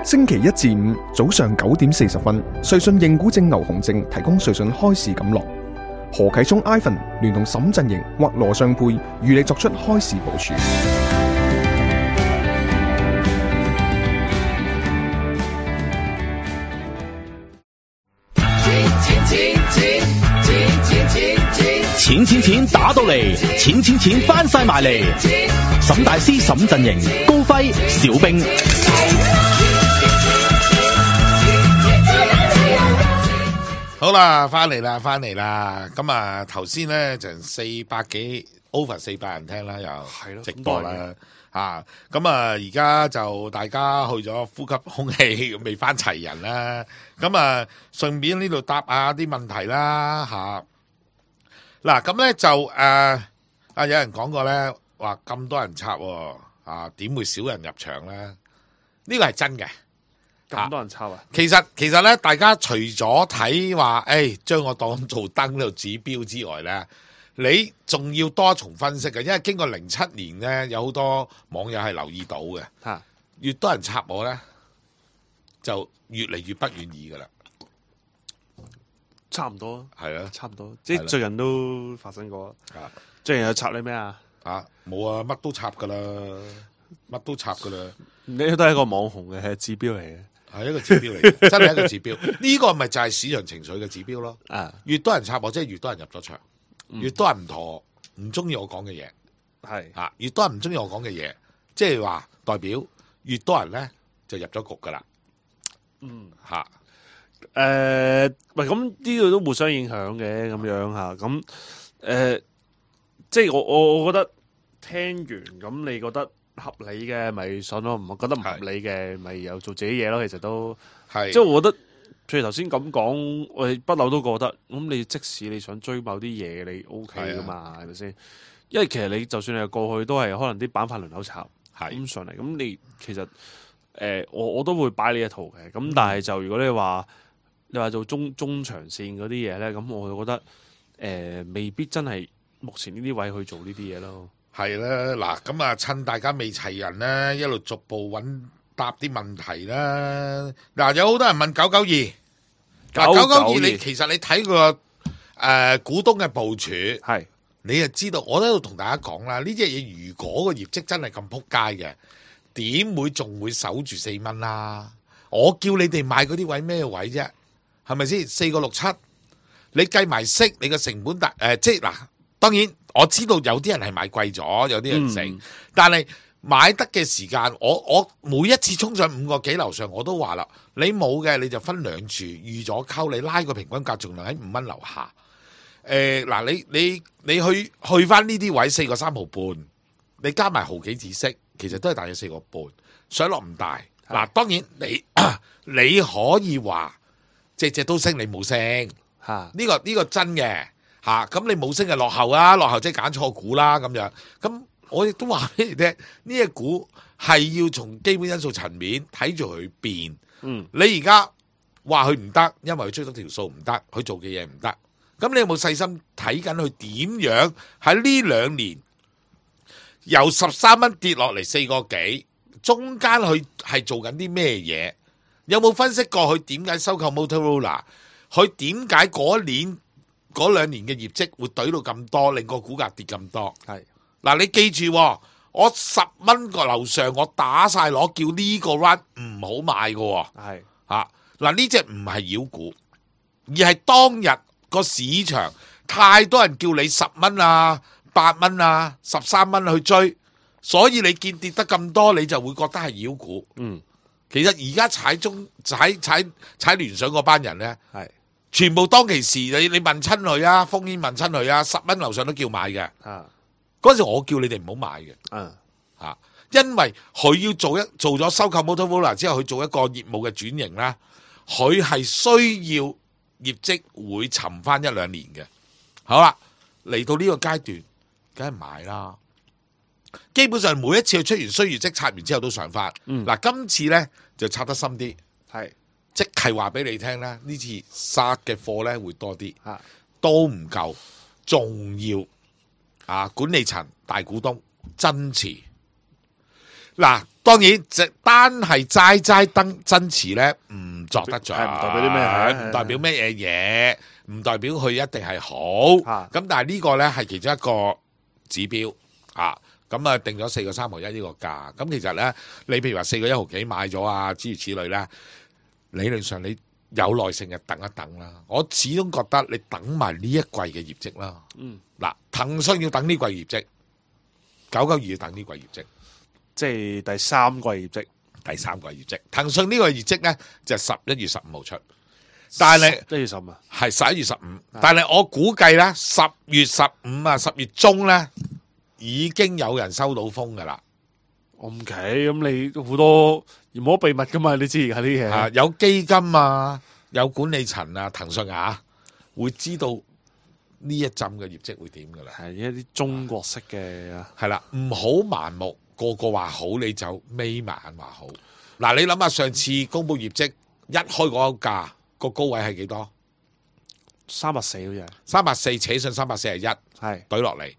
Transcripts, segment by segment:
星期一至五早上9點40分，瑞信認股證牛熊證提供瑞信開市錦囊。何啟聰 Ivan 聯同沈振盈或羅尚沛與你作出開市部署。錢打到嚟，錢翻晒埋嚟。沈大師、沈振盈、高輝、小兵。好啦，翻嚟啦。咁啊，頭先咧就400幾 over 400人聽啦，又直播啦。咁啊，而家就大家去咗呼吸空氣，未翻齊人啦。咁啊，順便呢度答下啲問題啦，嗱，咁咧就有人講過咧，話咁多人插點會少人入場咧？呢個係真嘅。咁多人插啊！其實咧，大家除咗睇話，將我當做燈呢度指標之外咧，你仲要多重分析嘅，因為經過07年咧，有好多網友係留意到嘅。越多人插我咧，就越嚟越不願意噶啦。差唔多，係啊，差唔多，即係最近都發生過。最近有插你咩啊？冇啊，乜都插噶啦，你都係一個網紅嘅，係指標嚟嘅，係一個指標嚟嘅，真係一個指標。呢個咪就係市場情緒嘅指標咯。越多人插我，即係越多人入咗場，越多人唔中意我講嘅嘢，係越多人唔中意我講嘅嘢，即係話代表越多人咧就入咗局噶啦。喂，咁呢個都互相影響嘅，咁樣吓，咁即係我覺得聽完咁，你覺得合理嘅咪信咯，唔覺得唔合理嘅咪又做自己嘢咯。其實都係，即係我覺得，譬如頭先咁講，我哋不嬲都覺得，咁你即使你想追某啲嘢，你 OK 噶嘛，係咪先？因為其實你就算係過去都係可能啲板塊輪流炒咁上嚟，咁你其實我都會擺呢一套嘅，咁但係就如果你話做中長線嗰啲嘢咧，咁我就覺得未必真係目前呢啲位去做呢啲嘢咯。係啦，嗱，咁啊，趁大家未齊人咧，一路逐步答啲問題啦。嗱，有好多人問992，嗱992，你其實你睇個股東嘅部署，係你就知道。我喺度同大家講啦，呢隻嘢如果個業績真係咁撲街嘅，點會仲會守住4蚊啦？我叫你哋買嗰啲位咩位啫？係咪先？4個67，你計埋息，你個成本即係嗱，當然我知道有啲人係買貴咗，有啲人成，但係買得嘅時間，我每一次衝上5個幾樓上，我都話啦，你冇嘅你就分兩注，預咗溝你拉個平均價，仲量喺5蚊樓下。嗱，你去翻呢啲位4個3毫半，你加埋毫幾子息，其實都係大約4個半，上落唔大。嗱，當然你可以話隻都升，你冇升，呢個真嘅。咁你冇升就落後啊，落後即係揀錯股啦咁樣。咁我亦都話俾你聽，呢隻股係要從基本因素層面睇住佢變。你而家話佢唔得，因為佢追得條數唔得，佢做嘅嘢唔得。咁你有冇細心睇緊佢點樣喺呢2年由13蚊跌落嚟4個幾，中間佢係做緊啲咩嘢？有冇分析過佢點解收購 Motorola？ 佢點解嗰2年嘅業績會懟到咁多，令個股價跌咁多？嗱，你記住，我10蚊個樓上，我打晒攞，叫呢個 run 唔好買嘅。嗱，呢隻唔係妖股，而係當日個市場太多人叫你10蚊啊、8蚊啊、13蚊去追，所以你見跌得咁多，你就會覺得係妖股。其實而家踩聯想嗰班人咧，全部當其時你問親佢啊，烽煙問親佢啊，10蚊樓上都叫買嘅。嗰時我叫你哋唔好買嘅。因為佢要做咗收購 Motorola 之後，佢做一個業務嘅轉型啦，佢係需要業績會沉翻1-2年嘅。好啦，嚟到呢個階段，梗係買啦。基本上每一次佢出完衰業績，拆完之後都上翻。嗱，今次咧就拆得深啲，即係話俾你聽咧，呢次殺嘅貨咧會多啲，都唔夠，仲要管理層大股東增持。嗱，當然，單係齋增持咧，唔作得獎，唔代表啲咩，唔代表咩嘢，唔代表佢一定係好。咁但係呢個咧係其中一個指標啊。咁啊定咗4個3毫1呢個價。咁其實咧，你譬如話4個1毫幾買咗啊，諸如此類咧，理論上你有耐性就等一等啦。我始終覺得你等埋呢一季嘅業績啦。嗱，騰訊要等呢季業績，992要等呢季業績。即係第三季業績，騰訊呢個業績咧就11月15號出，但係11月15啊，係11月15，但係我估計咧10月15啊，10月中咧已經有人收到風噶啦。OK，咁你好多唔好秘密噶嘛？你知而家啲嘢有基金啊，有管理層啊，騰訊啊會知道呢一陣嘅業績會點噶啦。係一啲中國式嘅，係啦，唔好盲目。個個話好你就眯埋眼話好。嗱，你諗下上次公布業績一開嗰個價個高位係幾多？340好似係340，扯上341，係懟落嚟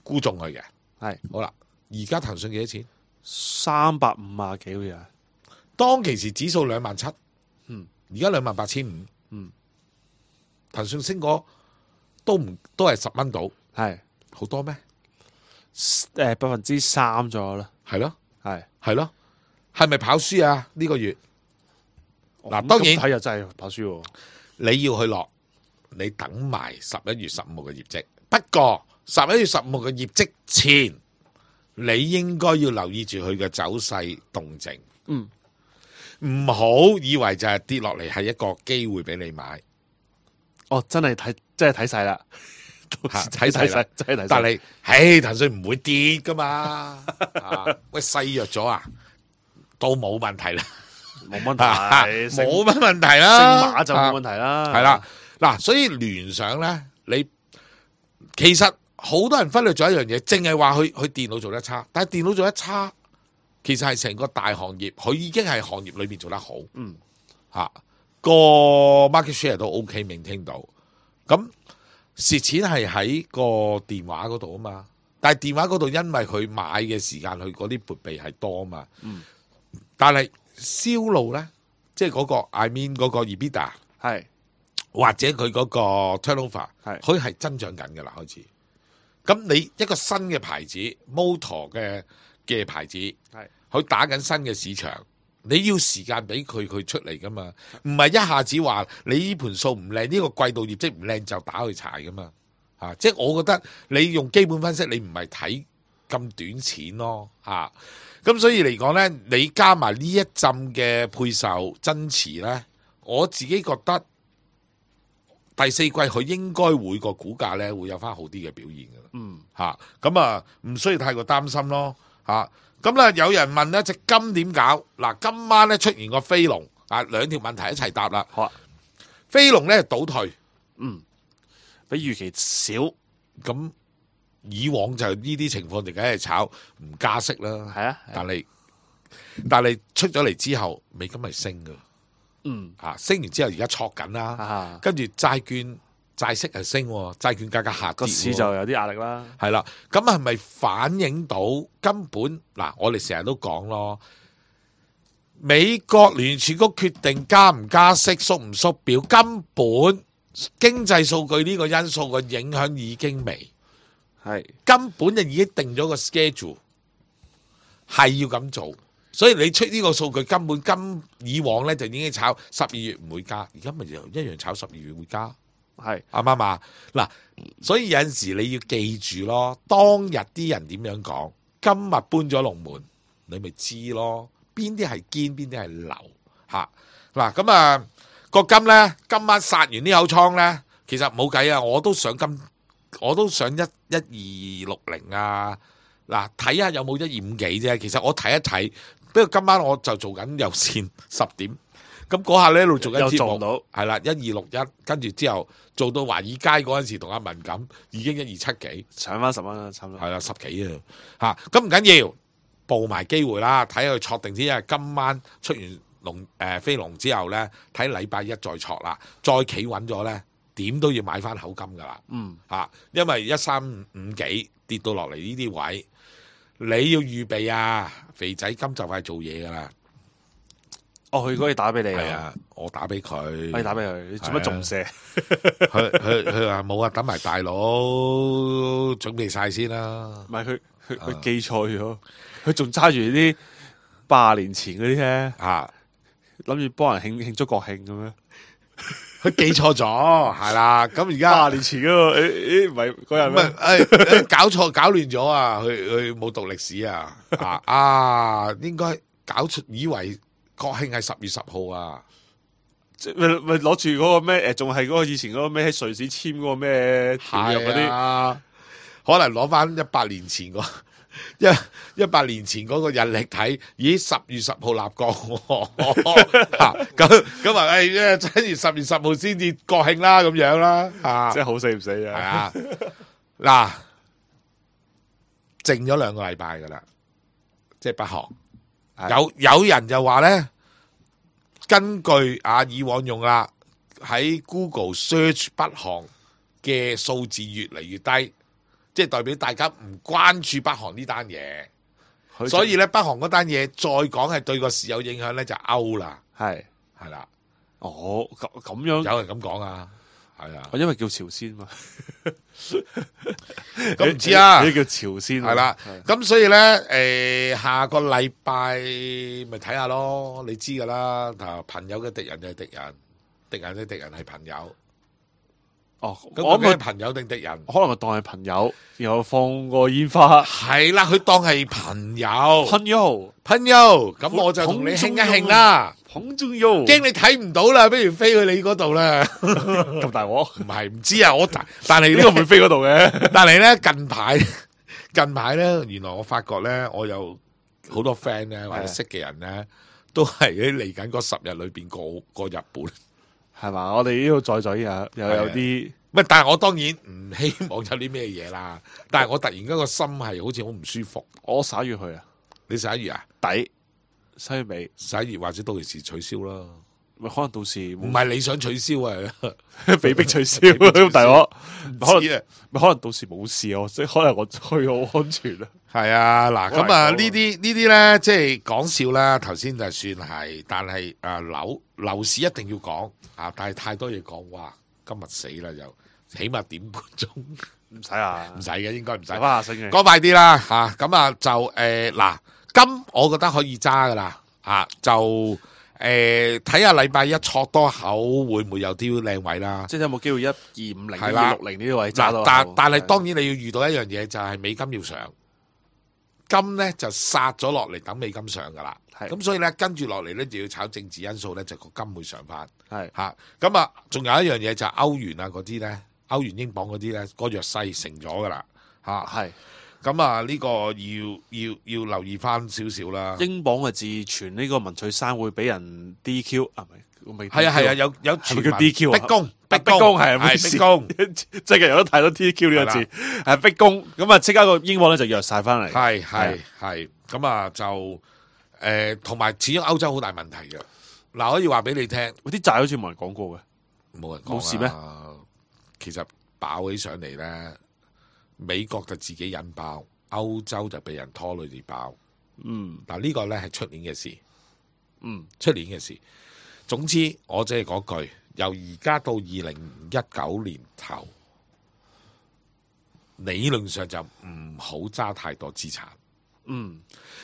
沽中佢嘅。係好啦，而家騰訊幾多錢？350幾好似係。當其時指數27000，而家28500，騰訊升過都係10蚊到，係好多咩？3%左右啦，係咯，係咯，係咪跑輸啊？呢個月嗱，當然睇又真係跑輸喎。你要去落，你等埋11月15號嘅業績。不過11月15號嘅業績前，你應該要留意住佢嘅走勢動靜。唔好以為就係跌落嚟係一個機會俾你買。哦，真係睇晒啦。睇晒，但係，騰訊唔會跌噶嘛。喂，細弱咗啊，都冇問題啦，冇問題，冇乜問題啦，升馬就冇問題啦。係啦，嗱，所以聯想咧，你其實好多人忽略咗一樣嘢，淨係話佢電腦做得差，但係電腦做得差，其實係成個大行業，佢已經係行業裏面做得好。個 market share 都 OK， maintain到咁。蝕錢係喺個電話嗰度啊嘛，但係電話嗰度因為佢買嘅時間，佢嗰啲撥備係多啊嘛。但係銷路咧，即係嗰個 I mean 嗰個 EBITDA 係或者佢嗰個 turnover 係，佢係增長緊嘅啦開始。咁你一個新嘅牌子 motor 嘅牌子係，佢打緊新嘅市場。你要時間俾佢出嚟噶嘛，唔係一下子話你呢盤數唔靚，呢個季度業績唔靚就打去柴噶嘛。即係我覺得你用基本分析，你唔係睇咁短錢咯。咁所以嚟講呢，你加埋呢一陣嘅配售增持呢，我自己覺得第4季佢應該會個股價呢會有翻好啲嘅表現噶啦。咁啊唔需要太過擔心咯。咁啦，有人問呢隻金點搞？嗱，今晚咧出現個飛龍啊，兩條問題一齊答啦。好啊，飛龍咧倒退，比預期少。咁以往就呢啲情況，就梗係炒唔加息啦。係啊，但係出咗嚟之後，美金係升噶。升完之後而家挫緊啦。跟住債息係升，債券價格下跌，個市就有啲壓力啦。係啦，咁係咪反映到根本嗱？我哋成日都講咯，美國聯儲局決定加唔加息、縮唔縮表，根本經濟數據呢個因素嘅影響已經微，係根本就已經定咗個 schedule， 係要咁做。所以你出呢個數據根本以往咧就已經炒12月唔會加，而家咪又一樣炒12月會加。係啱唔啱啊？嗱，所以有陣時你要記住咯，當日啲人點樣講，今日搬咗龍門，你咪知咯，邊啲係堅，邊啲係流吓。嗱，咁啊個金咧，今晚殺完呢口倉咧，其實冇計啊，我都想1260啊，嗱，睇下有冇125幾啫。其實我睇一睇，不過今晚我就做緊有線10點。咁嗰下咧一路做緊節目，係啦，1261，跟住之後做到華爾街嗰陣時，同阿文錦已經1270幾，上翻10蚊啦，差唔多。係啦，10幾啊，咁唔緊要，報埋機會啦，睇下佢挫定先。因為今晚出完飛龍之後咧，睇禮拜一再挫啦，再企穩咗咧，點都要買翻口金噶啦。因為1355幾跌到落嚟呢啲位，你要預備啊，肥仔金就快做嘢噶啦。哦，佢可以打俾你係啊，我打俾佢，可以打俾佢，你做乜仲射？佢話冇啊，等埋大佬準備晒先啦。唔係佢記錯咗，佢仲揸住啲80年前嗰啲咧，啊，諗住幫人慶祝國慶咁樣。佢記錯咗，係啦。咁而家80年前嗰個唔係嗰日唔咩？係搞錯搞亂咗啊！佢冇讀歷史啊！應該搞出以為國慶係10月10號啊！咪攞住嗰個咩？仲係嗰個以前嗰個咩喺瑞士簽嗰個咩條約嗰啲？啊，可能攞翻100年前個100年前嗰個日曆睇，咦10月10號立國喎，咁啊真係10月10號先至國慶啦，咁樣啦，即係好死唔死係啊！啊，嗱，靜咗2個禮拜噶啦，即係北韓有人就話咧，根據以往用啦，喺 Google search 北韓嘅數字越嚟越低。即係代表大家唔關注北韓呢單嘢，所以咧北韓嗰單嘢再講係對個市有影響咧就 out 啦，係啦。哦，咁樣有人咁講啊，係啊，因為叫朝鮮嘛，咁唔知啊，呢叫朝鮮係啦。咁所以咧下個禮拜咪睇下咯，你知噶啦。朋友嘅敵人就係敵人，敵人嘅敵人係朋友。哦，咁我係朋友定敵人？可能佢當係朋友，然後放個煙花。係啦，佢當係朋友。朋友，咁我就同你慶一慶啦。捧中用，驚你睇唔到啦，不如飛去你嗰度啦。咁大鑊？唔係，唔知啊。但係呢個唔會飛嗰度嘅。但係咧近排咧，原來我發覺咧，我有好多 friend 咧或者識嘅人咧，都係喺嚟緊嗰10日裏邊過日本。係嘛？我哋呢度再又有啲，乜？但係我當然唔希望有啲咩嘢啦。但係我突然間個心係好似好唔舒服。我11月去啊，你11月啊？底11月尾11月或者到時取消啦。咪可能到時唔係你想取消啊？被逼取消咁大鑊，可能到時冇事啊，即係可能我去好安全啊。係啊，嗱咁啊呢啲咧，即係講笑啦。頭先就算係，但係樓市一定要講啊！但係太多嘢講，哇！今日死啦，又起碼點半鐘，唔使啊，唔使嘅，應該唔使。講快啲啦嚇！咁啊就嗱，金我覺得可以揸噶啦嚇，就睇下禮拜一挫多口會唔會有啲靚位啦？即係有冇機會1250、1260呢啲位揸到？但係當然你要遇到一樣嘢，就係美金要上。金咧就殺咗落嚟，等美金上噶啦，咁所以咧跟住落嚟咧就要炒政治因素咧，就個金會上翻，嚇咁啊！仲有一樣嘢就係歐元啊嗰啲咧，歐元英鎊嗰啲咧，個弱勢成咗噶啦，嚇咁啊呢個要留意翻少少啦。英鎊嘅自傳呢個文翠珊會俾人 DQ 啊？係啊，有傳叫 DQ 逼宮係逼宮，即係有得睇到 DQ 呢個字係逼宮，咁啊即刻個英鎊咧就弱晒翻嚟。係咁啊就同埋始終歐洲好大問題嘅。嗱，可以話俾你聽，啲債好似冇人講過嘅，冇人講冇事咩？其實爆起上嚟咧，美國就自己引爆，歐洲就被人拖累住爆。嗱呢個咧係出年嘅事，出年嘅事。總之，我即係嗰句，由而家到2019年頭，理論上就唔好揸太多資產。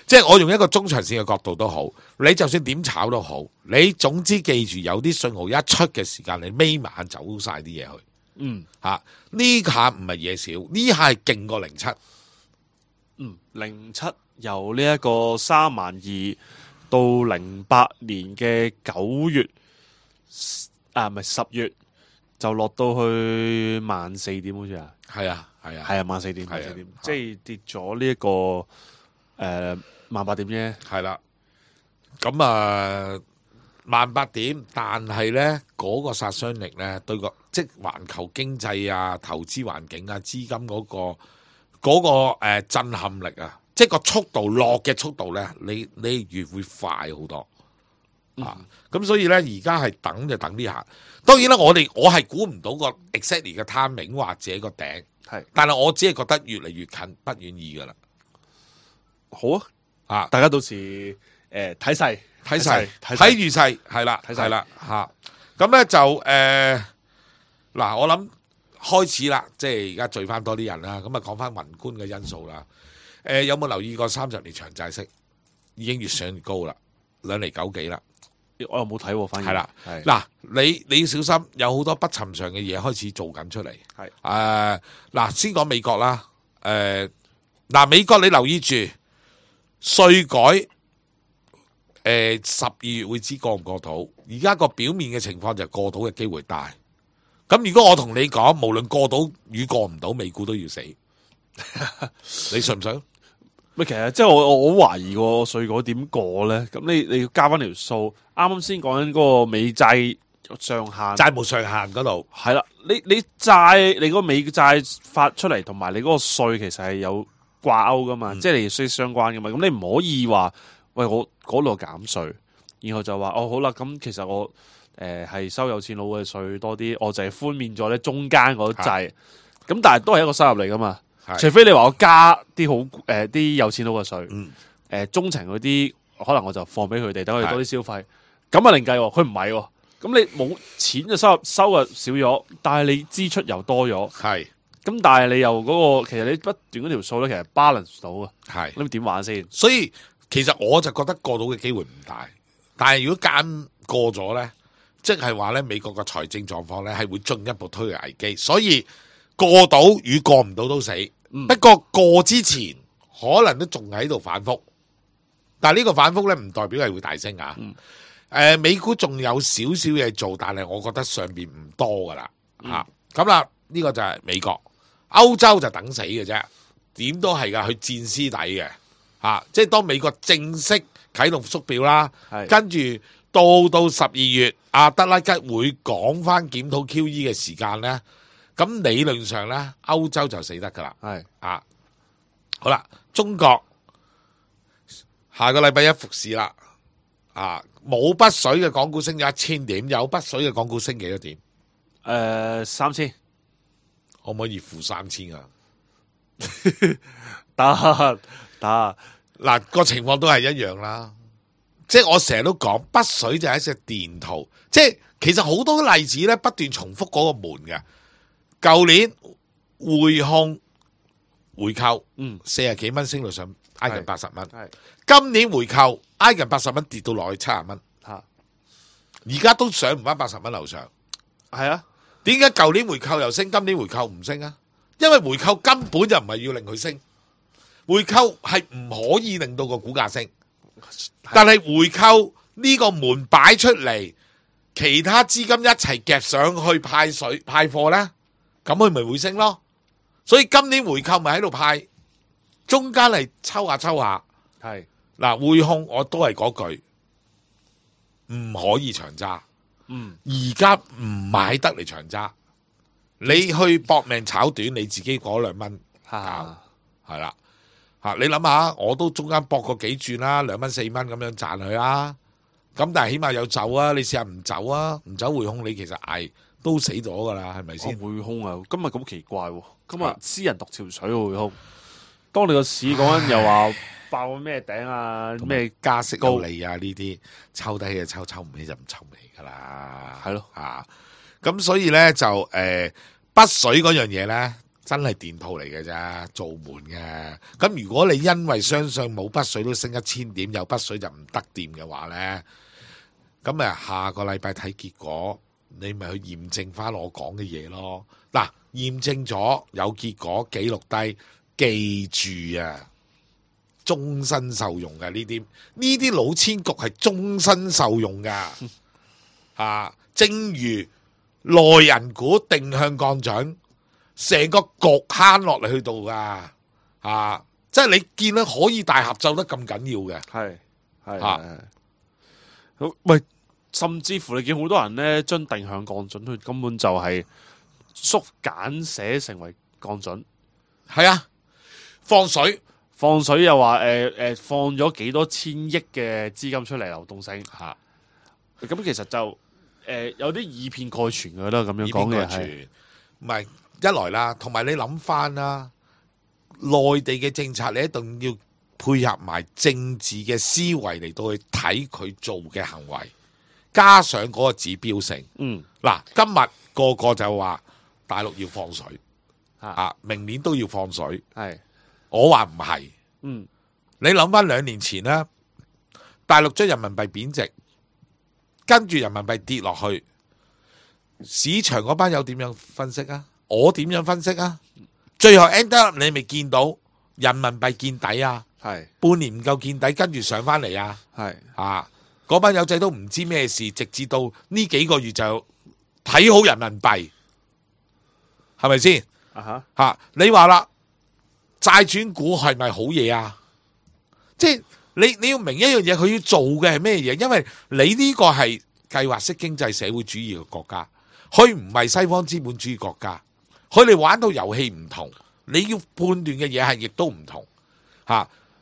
即係我用一個中長線嘅角度都好，你就算點炒都好，你總之記住有啲信號一出嘅時間，你眯埋眼走晒啲嘢去。呢下唔係嘢少，呢下係勁過07。07由呢一個32000到08年嘅9月唔係10月就落到去14,000點好似啊，係啊14,000點，即係跌咗呢一個18,000點啫，係啦。咁啊18,000點，但係咧嗰個殺傷力咧對個即係環球經濟啊、投資環境啊、資金嗰個震撼力啊。即係個速度落嘅速度咧，你越會快好多咁所以咧，而家係等就等呢下。當然啦，我係估唔到個 exactly 嘅 timing 或者個頂，但係我只係覺得越嚟越近，不願意噶啦。好啊，啊，大家到時睇勢睇勢睇睇預勢係啦，睇勢係啦嚇。咁咧就嗱，我諗開始啦，即係而家聚翻多啲人啦。咁啊講翻宏觀嘅因素啦。有冇留意過30年長債息已經越上越高啦，2厘9幾啦。我又冇睇喎，反而係啦，係嗱，你要小心，有好多不尋常嘅嘢開始做緊出嚟。係嗱，先講美國啦。嗱，美國你留意住稅改。12月會知過唔過到？而家個表面嘅情況就係過到嘅機會大。咁如果我同你講，無論過到與過唔到，美股都要死，你信唔信？咪其實即係我好懷疑個稅改點過咧？咁你要加翻條數，啱啱先講緊嗰個美債上限，債務上限嗰度係啦，你債你嗰個美債發出嚟，同埋你嗰個稅其實係有掛鈎噶嘛，即係你息息相關噶嘛。咁你唔可以話喂我嗰度減稅，然後就話哦好啦，咁其實我係收有錢佬嘅稅多啲，我就係寬免咗咧中間嗰掣，咁但係都係一個收入嚟噶嘛。除非你話我加啲好啲有錢佬嘅稅，中層嗰啲可能我就放俾佢哋，等佢哋多啲消費，咁啊另計喎。佢唔係喎，咁你冇錢嘅收入少咗，但係你支出又多咗，係咁但係你又嗰個其實你不斷嗰條數咧，其實 balance 到啊，係咁點玩先？所以其實我就覺得過到嘅機會唔大，但係如果間過咗咧，即係話咧美國嘅財政狀況咧係會進一步推嘅危機，所以過到與過唔到都死。不過過之前可能都仲喺度反覆，但係呢個反覆咧唔代表係會大升啊。美股仲有少少嘢做，但係我覺得上邊唔多噶啦咁啦，呢個就係美國，歐洲就等死嘅啫，點都係噶，去戰屍底嘅即係當美國正式啟動縮表啦，跟住到12月，阿德拉吉會講翻檢討 QE 嘅時間咧。咁理論上咧，歐洲就死得噶啦。好啦，中國下個禮拜一復市啦。冇北水嘅港股升咗1000點，有北水嘅港股升幾多點？3000，可唔可以負3000啊？得嗱，個情況都係一樣啦。即係我成日都講，北水就係一隻電圖，即係其實好多例子咧，不斷重複嗰個門嘅。舊年匯控回購，40幾蚊升到上挨近80蚊。今年回購挨近80蚊跌到落去70蚊。而家都上唔翻80蚊樓上。係啊，點解舊年回購又升，今年回購唔升啊？因為回購根本就唔係要令佢升，回購係唔可以令到個股價升。但係回購呢個門擺出嚟，其他資金一齊夾上去派貨呢。咁佢咪會升咯，所以今年回購咪喺度派，中間嚟抽下。係嗱，匯控我都係嗰句，唔可以長揸。而家唔買得嚟長揸，你去搏命炒短，你自己嗰2蚊係啦你諗下，我都中間搏過幾轉啦，2蚊4蚊咁樣賺佢啦。咁但係起碼有走啊，你試下唔走啊，唔走匯控，你其實捱。都死咗噶啦，係咪先？匯控啊，今日咁奇怪喎！今日私人獨潮水喎匯控。當你個市講緊又話爆咩頂啊，咩加息有利啊，呢啲抽低嘅抽唔起就唔抽尾噶啦。係咯咁所以咧就北水嗰樣嘢咧，真係電套嚟嘅啫，做門嘅。咁如果你因為相信冇北水都升1000點，有北水就唔得掂嘅話咧，咁下個禮拜睇結果。你咪去驗證翻我講嘅嘢咯。嗱，驗證咗有結果，記錄低，記住啊，終身受用嘅呢啲老千局係終身受用噶。正如內人股定向降準，成個局慳落嚟去到噶。即係你見到可以大合奏得咁緊要嘅。係喂。甚至乎你見好多人咧，將定向降準，佢根本就係縮簡寫成為降準。係啊，放水又話放咗幾多千億嘅資金出嚟流動性嚇。咁其實就有啲以偏概全嘅啦，咁樣講嘅係唔係一來啦，同埋你諗翻啦，內地嘅政策你一定要配合埋政治嘅思維嚟到去睇佢做嘅行為，加上嗰個指標性。嗱，今日個個就話大陸要放水，明年都要放水。我話唔係。你諗翻2年前啦，大陸將人民幣貶值，跟住人民幣跌落去，市場嗰班友點樣分析啊？我點樣分析啊？最後 end up 你未見到人民幣見底啊？半年唔夠見底，跟住上翻嚟啊？嗰班友仔都唔知咩事，直至到呢幾個月就睇好人民幣，係咪先？你話啦，債轉股係咪好嘢啊？即係你要明一樣嘢，佢要做嘅係咩嘢？因為你呢個係計劃式經濟社會主義嘅國家，佢唔係西方資本主義國家，佢哋玩到遊戲唔同，你要判斷嘅嘢係亦都唔同。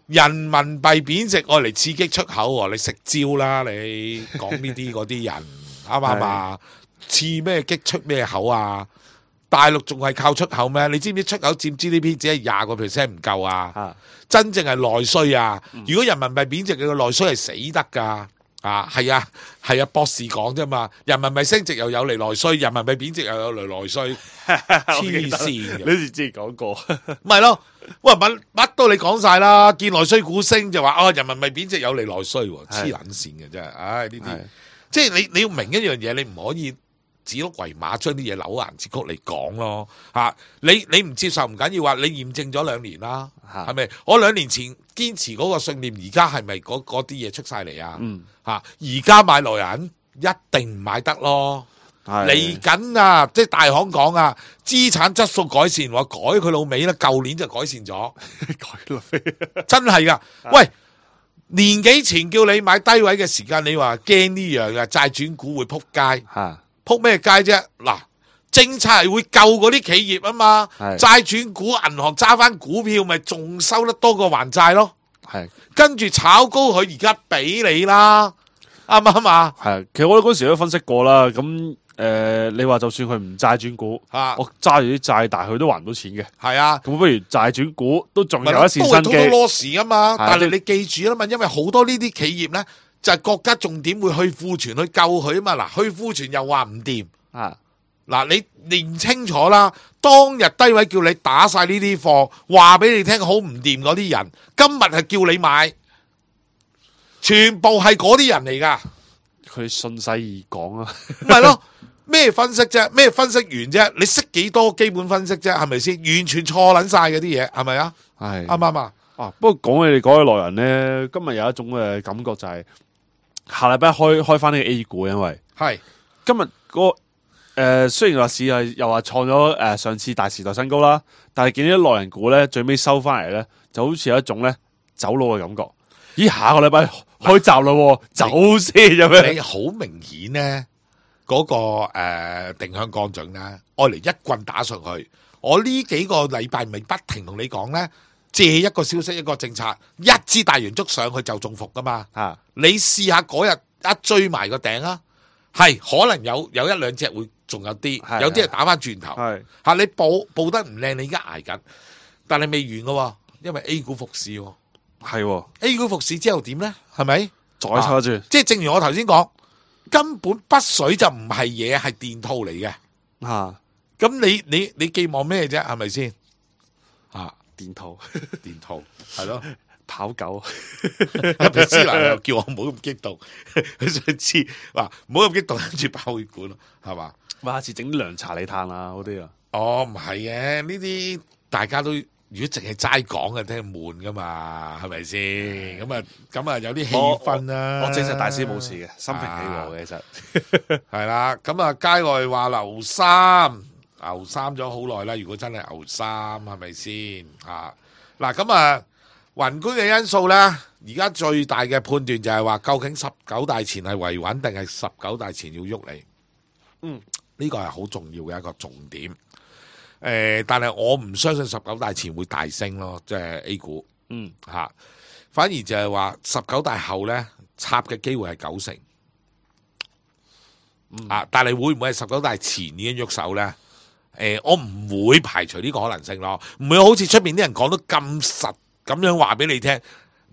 人民幣貶值愛嚟刺激出口，你食蕉啦！你講呢啲嗰啲人啱唔啱啊？刺咩激出咩口啊？大陸仲係靠出口咩？你知唔知出口佔 GDP 只係20%唔夠啊？真正係內需啊！如果人民幣貶值，佢個內需係死得噶。係啊，博士講啫嘛。人民幣升值又有嚟內需，人民幣貶值又有嚟內需，黐線嘅。你之前講過，咪咯？喂，乜都你講晒啦。見內需股升就話人民幣貶值有嚟內需，黐撚線嘅真係。呢啲即係你要明一樣嘢，你唔可以指鹿為馬，將啲嘢扭顏節曲嚟講咯。你唔接受唔緊要，話你驗證咗2年啦，係咪？我2年前堅持嗰個信念，而家係咪嗰啲嘢出晒嚟啊？而家買內銀一定唔買得咯。嚟緊啊，即係大行講啊，資產質素改善，我改佢老味啦。舊年就改善咗，真係噶。喂，年幾前叫你買低位嘅時間，你話驚呢樣啊？債轉股會撲街，撲咩街啫？嗱，政策係會救嗰啲企業啊嘛。債轉股，銀行揸翻股票，咪仲收得多過還債咯。跟住炒高佢，而家俾你啦，啱唔啱啊？其實我哋嗰時都分析過啦。咁你話就算佢唔債轉股，我揸住啲債，但係佢都還唔到錢嘅。咁不如債轉股都仲有一線生機。都係 loss 啊嘛。但係你記住啦嘛，因為好多呢啲企業咧，就係國家重點會去庫存去救佢啊嘛。嗱，去庫存又話唔掂。嗱，你認清楚啦。當日低位叫你打晒呢啲貨，話俾你聽好唔掂嗰啲人，今日係叫你買，全部係嗰啲人嚟噶。佢順勢而講啊，唔係咯？咩分析啫？咩分析員啫？你識幾多基本分析啫？係咪先？完全錯捻晒嗰啲嘢，係咪啊？係啱唔啱啊？不過講起你講起內人咧，今日有一種嘅感覺就係下禮拜開翻呢個 A 股，因為係今日嗰雖然話市係又話創咗上次大時代新高啦，但係見到啲內人股咧最尾收翻嚟咧，就好似有一種咧走佬嘅感覺。咦，下個禮拜開閘啦，走先咁樣。你好明顯咧，嗰個定向降準咧，愛嚟一棍打上去。我呢幾個禮拜咪不停同你講咧，借一個消息一個政策，一支大陽燭上去就中伏噶嘛。你試下嗰日一追埋個頂啊，係可能有1-2隻會仲有啲，有啲係打翻轉頭。你報得唔靚，你而家挨緊，但係未完噶，因為 A 股復市。A 股復市之後點咧？係咪再抽住？即係正如我頭先講，根本北水就唔係嘢，係電套嚟嘅。咁你寄望咩啫？係咪先？電套係咯，跑狗。阿思南又叫我唔好咁激動，佢想知話唔好咁激動，跟住爆血管咯，係嘛？下次整啲涼茶你嘆啊，嗰啲啊。唔係嘅，呢啲大家都。如果淨係齋講嘅，聽悶噶嘛，係咪先？咁啊有啲氣氛啦。我證實大師冇事嘅，心平氣和嘅，其實係啦。咁啊，街外話牛三咗好耐啦。如果真係牛三，係咪先？嗱，咁啊，宏觀嘅因素咧，而家最大嘅判斷就係話，究竟19大前係維穩定係19大前要喐你？呢個係好重要嘅一個重點。但係我唔相信19大前會大升咯，即係 A 股，反而就係話19大後咧插嘅機會係90%，但係會唔會係19大前已經喐手咧？我唔會排除呢個可能性咯，唔會好似出邊啲人講得咁實咁樣話俾你聽，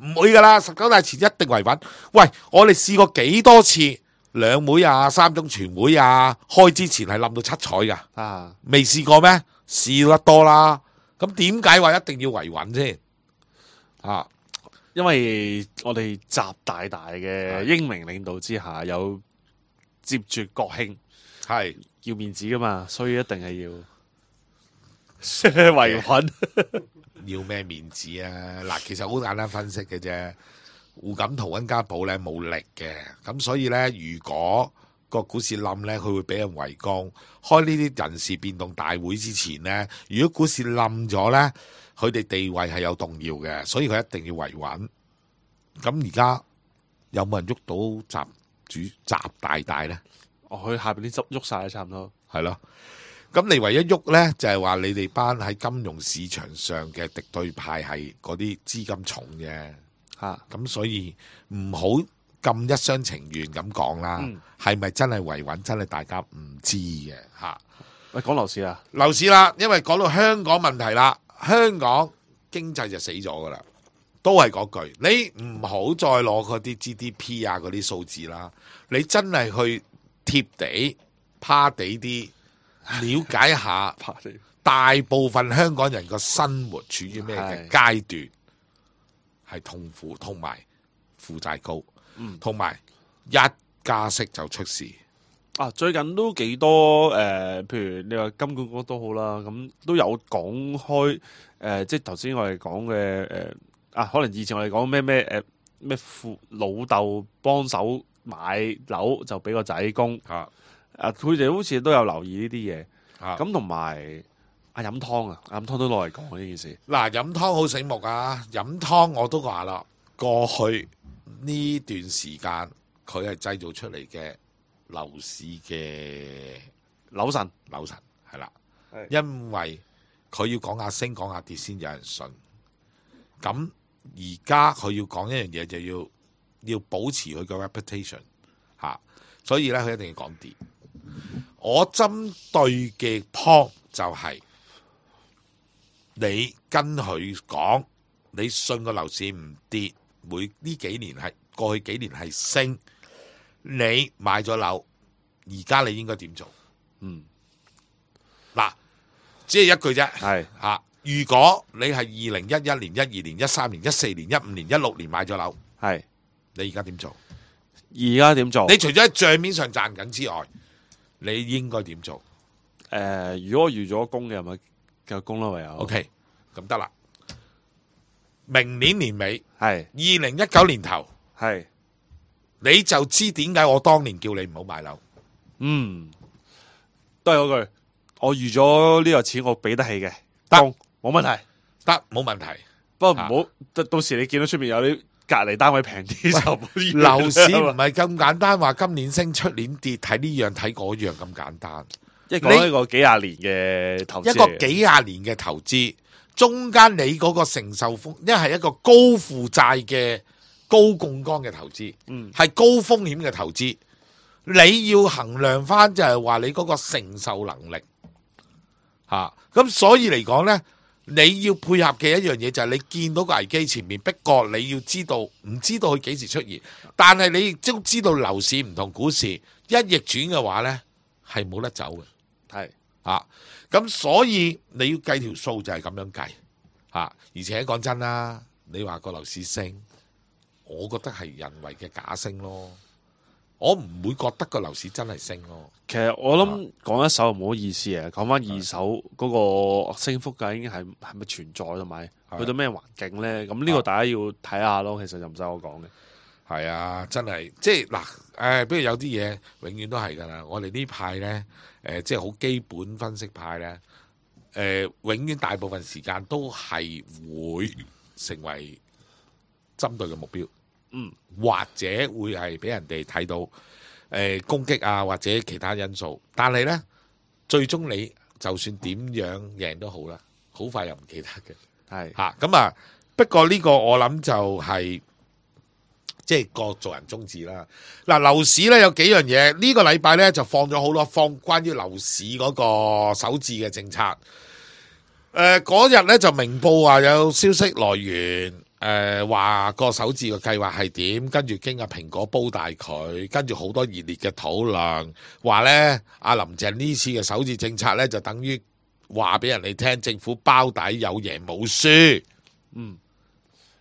唔會噶啦，19大前一定維穩。喂，我哋試過幾多次兩會啊、三中全會啊，開之前係冧到七彩噶，啊，未試過咩？試得多啦。咁點解話一定要維穩先？啊，因為我哋習大大嘅英明領導之下，有接住國慶，係要面子噶嘛，所以一定係要維穩。要咩面子啊？嗱，其實好簡單分析嘅啫。胡錦濤溫家寶咧冇力嘅，咁所以咧，如果個股市冧咧，佢會俾人圍攻。開呢啲人事變動大會之前咧，如果股市冧咗咧，佢哋地位係有動搖嘅，所以佢一定要維穩。咁而家有冇人喐到習大大咧？佢下邊啲汁喐晒，差唔多。係咯。咁你唯一喐咧，就係話你哋班喺金融市場上嘅敵對派係嗰啲資金重嘅。咁所以唔好咁一廂情願咁講啦，係咪真係維穩？真係大家唔知嘅吓。喂，講樓市啊，樓市啦，因為講到香港問題啦，香港經濟就死咗噶啦，都係嗰句，你唔好再攞嗰啲 GDP 啊嗰啲數字啦，你真係去貼地趴地啲了解下，大部分香港人個生活處於咩嘅階段？係痛苦，同埋負債高，同埋一加息就出事。啊，最近都幾多譬如你話金管局都好啦，咁都有講開即係頭先我哋講嘅可能以前我哋講咩父老豆幫手買樓就俾個仔供佢哋好似都有留意呢啲嘢，咁同埋。飲湯飲湯都攞嚟講呢件事。嗱，飲湯好醒目啊！飲湯我都話啦，過去呢段時間佢係製造出嚟嘅樓市嘅樓神係啦，因為佢要講下升講下跌先有人信。咁而家佢要講一樣嘢，就要保持佢個 reputation 所以咧佢一定要講跌。我針對嘅 point 就係、你跟佢講，你信個樓市唔跌，呢幾年係過去幾年係升，你買咗樓，而家你應該點做？嗱，只係一句啫。係如果你係2011年、12年、13年、14年、15年、16年買咗樓，係你而家點做？而家點做？你除咗喺帳面上賺緊之外，你應該點做？如果我預咗供嘅，咪繼續供啦，唯有。OK， 咁得啦。明年年尾係2019年頭係，你就知點解我當年叫你唔好買樓。都係嗰句，我預咗呢個錢我俾得起嘅，得冇問題，得冇問題。不過唔好到時你見到出面有啲隔離單位平啲就樓市唔係咁簡單，話今年升出年跌，睇呢樣睇嗰樣咁簡單。一講一個幾廿年嘅投資，一個幾廿年嘅投資，中間你嗰個承受風，因為係一個高負債嘅高槓桿嘅投資，係高風險嘅投資，你要衡量翻就係話你嗰個承受能力吓，咁所以嚟講呢，你要配合嘅一樣嘢就係你見到個危機前面逼過，你要知道唔知道佢幾時出現，但係你亦都知道樓市唔同股市一逆轉嘅話呢，係冇得走嘅。係咁所以你要計條數就係咁樣計而且講真啦，你話個樓市升，我覺得係人為嘅假升咯，我唔會覺得個樓市真係升咯。其實我諗講一手唔好意思啊，講翻二手嗰個升幅究竟係咪存在，同埋去到咩環境咧？咁呢個大家要睇下咯。其實就唔使我講嘅。係啊，真係即係嗱，比如有啲嘢永遠都係噶啦。我哋呢派咧，即係好基本分析派咧，永遠大部分時間都係會成為針對嘅目標，或者會係俾人哋睇到攻擊啊，或者其他因素。但係咧，最終你就算點樣贏都好啦，好快又唔記得嘅。係咁啊。不過呢個我諗就係。即係個做人宗旨啦。嗱，樓市咧有幾樣嘢，呢個禮拜咧就放咗好多關於樓市嗰個首置嘅政策。嗰日咧就明報話有消息來源，話個首置嘅計劃係點，跟住經阿蘋果煲大佢，跟住好多熱烈嘅討論，話呢，阿林鄭呢次嘅首置政策呢，就等於話俾人哋聽，政府包底有贏冇輸。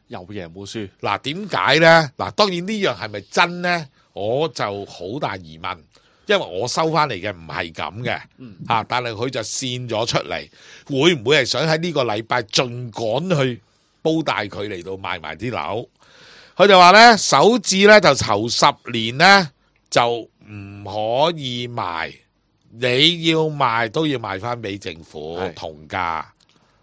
有贏冇輸。嗱，點解呢？嗱，當然呢樣係咪真呢？我就好大疑問，因為我收翻嚟嘅唔係咁嘅，但係佢就線咗出嚟，會唔會係想喺呢個禮拜盡趕去煲大佢嚟到賣埋啲樓？佢就話呢，首置呢就頭10年呢就唔可以賣，你要賣都要賣翻俾政府同價，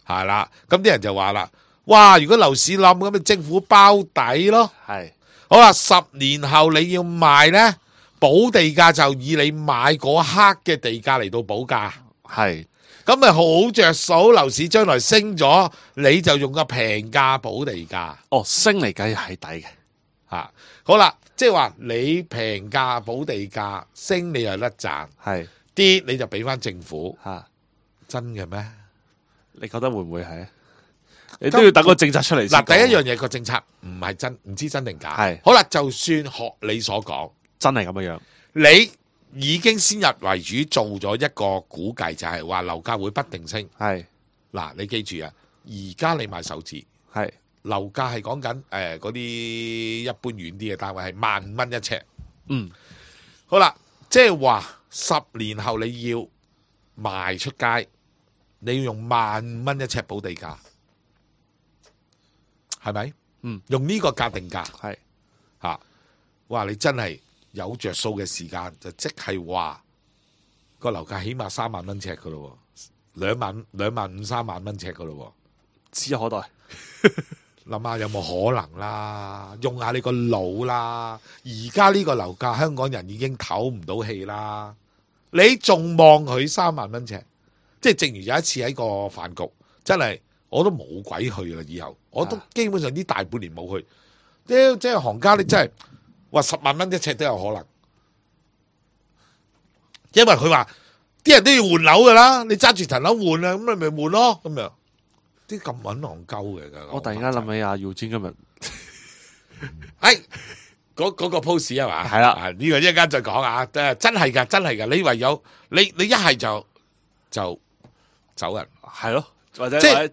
係啦。咁啲人就話啦，哇！如果樓市冧咁，咪政府包底咯。係好啦，10年後你要賣呢，補地價就以你買嗰刻嘅地價嚟到補價，係咁咪好着數。樓市將來升咗，你就用個平價補地價。哦，升嚟計係抵嘅。吓，好啦，即係話你平價補地價，升你又甩賺，係跌你就俾翻政府。真嘅咩？你覺得會唔會係？你都要等個政策出嚟先。嗱，第一樣嘢個政策唔係真，唔知真定假。係好啦，就算學你所講，真係咁樣樣，你已經先入為主做咗一個估計，就係話樓價會不定升。係嗱，你記住啊，而家你買首置，係樓價係講緊嗰啲一般遠啲嘅單位係15,000蚊一尺。好啦，即係話10年後你要賣出街，你要用15,000蚊一尺補地價，係咪？用呢個價定價，係吓，哇！你真係有着數嘅時間，就即係話個樓價起碼3萬蚊尺噶咯，2萬5、3萬蚊尺噶咯，指日可待。諗下有冇可能啦？用下你個腦啦！而家呢個樓價，香港人已經唞唔到氣啦。你仲望佢3萬蚊尺？即係正如有一次喺個飯局，真係我都冇鬼去啦。以後我都基本上呢大半年冇去。即係行家，你真係話10萬蚊一尺都有可能，因為佢話啲人都要換樓噶啦，你揸住層樓換啊，咁你咪換咯，咁樣啲咁搵戇鳩嘅。我突然間諗起阿耀堅今日，嗰個 post 係嘛？係啦，呢個一陣間再講啊！真係噶，真係噶，你唯有你一係就走人，係咯，或者即係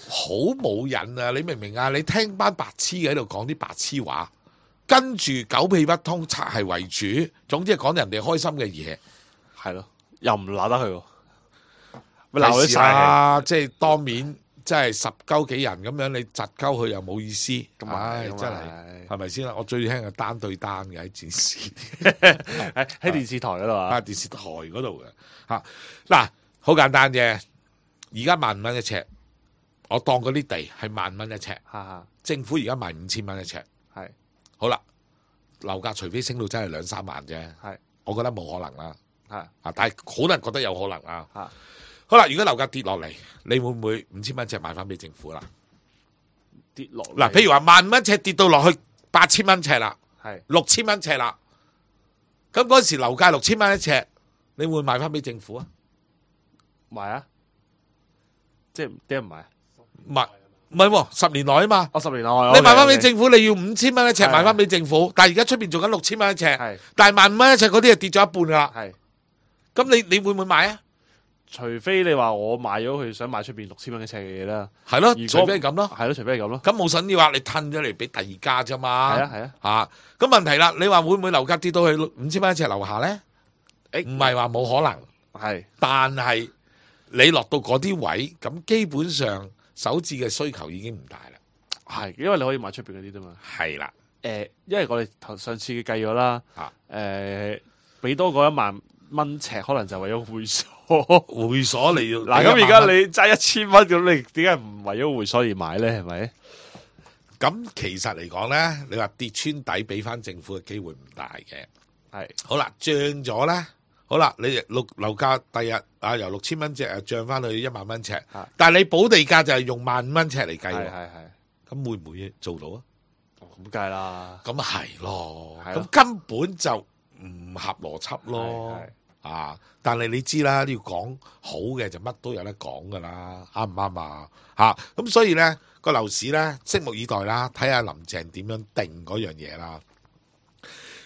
好冇癮啊！你明唔明啊？你聽班白痴喺度講啲白痴話，跟住狗屁不通，拆係為主，總之係講人哋開心嘅嘢，係咯，又唔鬧得佢喎，咪鬧佢晒，即係當面，即係10鳩幾人咁樣，你窒鳩佢又冇意思，唉，真係係咪先啦？我最興係單對單嘅喺電視，喺電視台嗰度啊，電視台嗰度嘅吓，嗱，好簡單啫，而家15,000蚊一尺。我當嗰啲地係15,000蚊一尺，政府而家賣5,000蚊一尺，係好啦。樓價除非升到真係2-3萬啫，係我覺得冇可能啦，係但係好多人覺得有可能啊。好啦，如果樓價跌落嚟，你會唔會5,000蚊一尺賣翻俾政府啦？跌落嗱，譬如話15,000蚊尺跌到落去8,000蚊尺啦，係6,000蚊尺啦，咁嗰時樓價6,000蚊一尺，你會賣翻俾政府啊？賣啊，即係點唔賣？唔係喎，10年內啊嘛。10年內你賣翻俾政府，你要5,000蚊一尺賣翻俾政府，但係而家出邊做緊6,000蚊一尺，但係15,000蚊一尺嗰啲係跌咗一半噶啦。係，咁你會唔會買啊？除非你話我買咗佢想賣出邊6,000蚊一尺嘅嘢啦，係咯，除非係咁咯，係咯，除非係咁咯。咁冇筍要話你褪咗嚟俾第二家啫嘛。係啊，咁問題啦，你話會唔會樓價跌到去5,000蚊一尺樓下咧？唔係話冇可能，係，但係你落到嗰啲位，咁基本上首置嘅需求已經唔大啦。係，因為你可以買出邊嗰啲啫嘛。係啦，因為我哋上次計咗啦，俾多過1萬蚊尺，可能就為咗會所。會所你要嗱，咁而家你揸1,000蚊，咁你點解唔為咗會所而買咧？係咪？咁其實嚟講咧，你話跌穿底俾翻政府嘅機會唔大嘅。係，好啦，漲咗咧，好啦，你樓價第日由6,000蚊尺漲翻去1萬蚊尺，但係你補地價就係用15,000蚊尺嚟計喎。係，咁會唔會做到啊？咁計啦，咁係咯，咁根本就唔合邏輯咯。啊！但係你知啦，你要講好嘅就乜都有得講噶啦，啱唔啱啊？嚇！咁所以咧個樓市咧，拭目以待啦，睇下林鄭點樣定嗰樣嘢啦。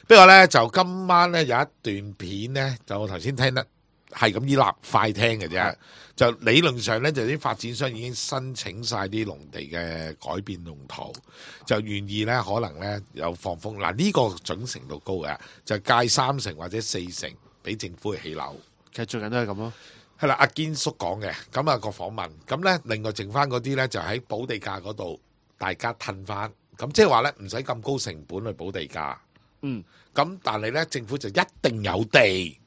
不過咧就今晚咧有一段片咧，就我頭先聽得係咁依立快聽嘅啫。就理論上咧，就啲發展商已經申請晒啲農地嘅改變用途，就願意咧可能咧有放風。嗱，呢個準程度高嘅，就介3成或者4成俾政府去起樓。其實最近都係咁咯。係啦，阿堅叔講嘅，咁啊個訪問，咁咧另外剩翻嗰啲咧就喺補地價嗰度，大家褪翻，咁即係話咧唔使咁高成本去補地價。嗯，咁但係咧政府就一定有地。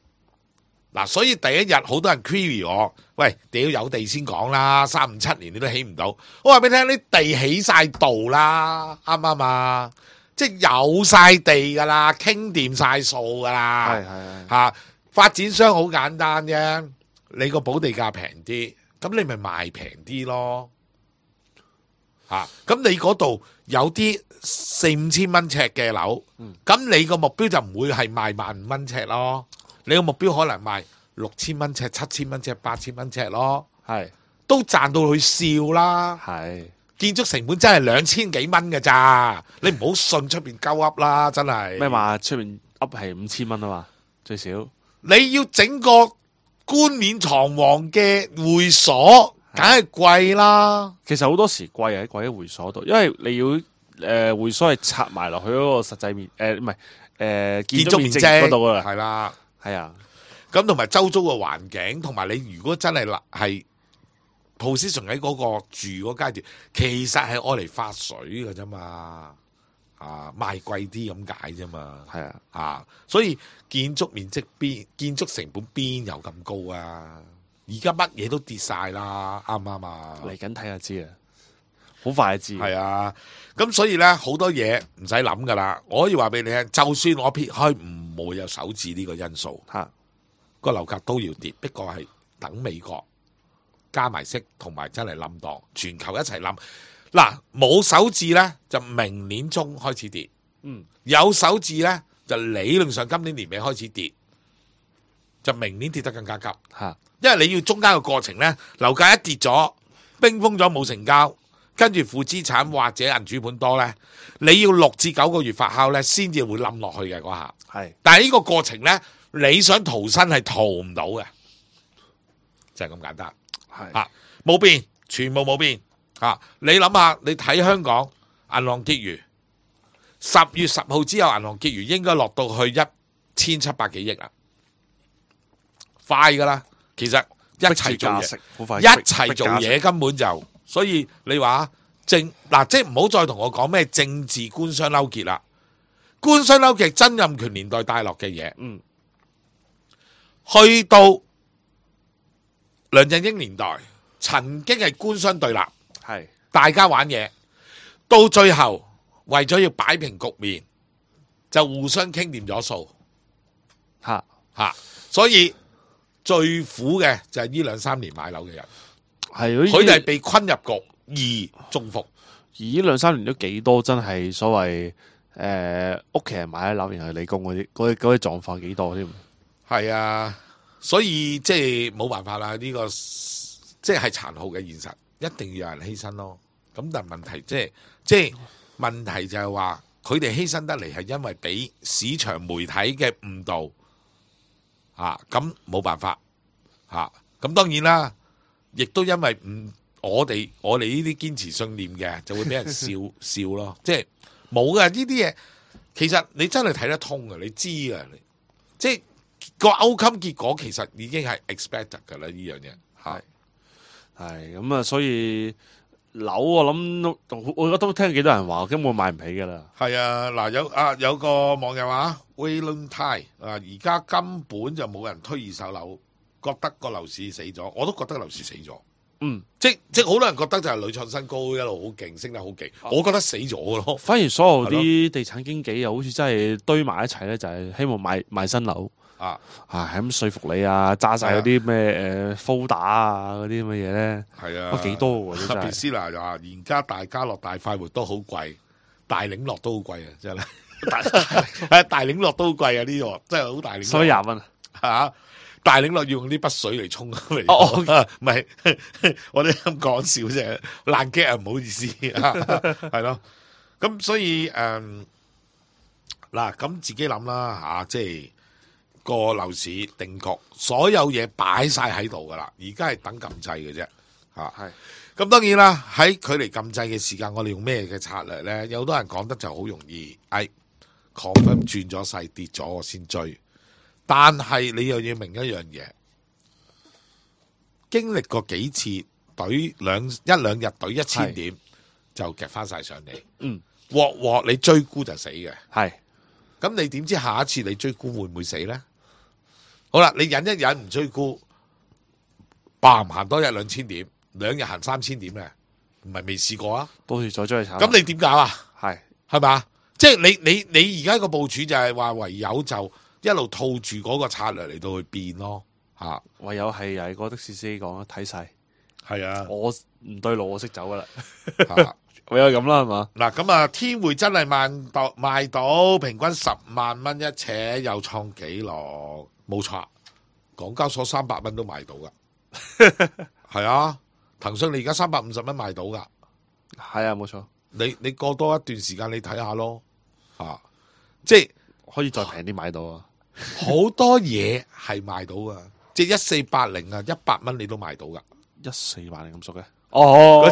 嗱，所以第一日好多人 query 我，喂，屌有地先講啦，3、5、7年你都起唔到。我話俾你聽，啲地起晒度啦，啱唔啱啊？即係有晒地噶啦，傾掂晒數噶啦。係嚇，發展商好簡單啫，你個補地價平啲，咁你咪賣平啲咯。嚇，咁你嗰度有啲4、5千蚊尺嘅樓，咁你個目標就唔會係賣15,000蚊尺咯。你個目標可能賣6000蚊尺、7000蚊尺、8000蚊尺咯，係都賺到佢笑啦。係建築成本真係2000幾蚊嘅咋，你唔好信出邊鳩噏啦，真係。咩話？出面噏係5000蚊啊嘛，最少。你要整個冠冕堂皇嘅會所，梗係貴啦。其實好多時貴喺貴喺會所度，因為你要會所係拆埋落去嗰個實際面唔係建築面積嗰度啊，係啦。係啊，咁同埋周遭嘅環境，同埋你如果真係係 position 喺嗰個住嗰階段，其實係愛嚟發水嘅啫嘛，賣貴啲咁解啫嘛，係啊，所以建築面積建築成本邊有咁高啊？而家乜嘢都跌晒啦，啱唔啱啊？嚟緊睇下知啊，好快就知。係啊，咁所以咧好多嘢唔使諗噶啦，我可以話俾你聽，就算我撇開唔會有首置呢個因素，個樓價都要跌，不過係等美國加埋息同埋真係冧檔，全球一齊冧。嗱，冇首置咧就明年中開始跌，有首置咧就理論上今年年尾開始跌，就明年跌得更加急。因為你要中間嘅過程咧，樓價一跌咗，冰封咗冇成交。跟住負資產或者銀主盤多咧，你要6至9個月發酵咧，先至會冧落去嘅嗰下。係，但係呢個過程咧，你想逃生係逃唔到嘅，就係咁簡單。係冇變，全部冇變。你諗下，你睇香港銀行結餘，10月10號之後銀行結餘應該落到去1700幾億啦，快噶啦。其實一齊做嘢，一齊做嘢根本就。所以你話即係唔好再同我講咩政治官商勾結啦，官商勾結曾蔭權年代帶落嘅嘢，去到梁振英年代曾經係官商對立，係大家玩嘢，到最後為咗要擺平局面，就互相傾掂咗數，所以最苦嘅就係呢2、3年買樓嘅人。佢哋係被困入局而中伏，而呢2、3年都幾多真係所謂屋企人買咗樓，然後你供嗰啲狀況幾多添？係啊，所以即係冇辦法啦，呢個即係殘酷嘅現實，一定要有人犧牲咯。咁但係問題即係問題就係話，佢哋犧牲得嚟係因為俾市場媒體嘅誤導咁冇辦法咁當然啦。亦都因為我哋呢啲堅持信念嘅，就會俾人笑咯。即係冇嘅呢啲嘢，其實你真係睇得通嘅，你知嘅。即係個 outcome 結果其實已經係 expected 㗎啦，呢樣嘢係咁啊，所以樓我諗我都聽幾多人話根本買唔起㗎啦。係啊，嗱有個網友話 Waylon Tai 而家根本就冇人推2手樓。覺得個樓市死咗，我都覺得樓市死咗。即好多人覺得就係屢創新高，一路好勁，升得好勁。我覺得死咗咯。反而所有啲地產經紀又好似真係堆埋一齊咧，就係希望賣新樓係咁說服你揸晒嗰啲咩folder嗰啲咁嘅嘢咧。係啊，幾多喎？特別斯拿就話，而家大家樂大快活都好貴，大領樂都好貴啊！真係大領樂都好貴啊！呢個真係好大領樂，所以20蚊嚇。大領落要用呢筆水嚟沖嚟，唔係我哋咁講笑啫，爛 gag 啊，唔好意思，係咯。咁所以嗱，咁自己諗啦嚇，即係個樓市定局，所有嘢擺晒喺度噶啦，而家係等禁制嘅啫嚇。係咁當然啦，喺距離禁制嘅時間，我哋用咩嘅策略咧？有好多人講得就好容易，confirm 轉咗勢跌咗我先追。但係你又要明一樣嘢，經歷過幾次懟一兩日懟1000點就夾翻晒上嚟，鑊你追沽就死嘅。係，咁你點知下一次你追沽會唔會死呢？好啦，你忍一忍唔追沽，唔行多1-2千點，2日行3000點咧，唔係未試過啊？到時再追去炒。咁你點搞啊？係嘛？即係你而家個部署就係話唯有就一路套住嗰個策略嚟到去變咯，吓，唯有係又係個的士司機講啦，睇勢，係啊，我唔對路，我識走噶啦，吓唯有咁啦，係嘛？嗱，咁啊，天匯真係賣到平均10萬蚊一尺，又創紀錄，冇錯，港交所300蚊都賣到噶，係啊，騰訊你而家350蚊賣到噶，係啊，冇錯，你過多一段時間你睇下咯，吓，即係可以再平啲買到啊。好多嘢係賣到噶，即係1480啊，100蚊你都賣到噶，1480咁熟嘅，哦，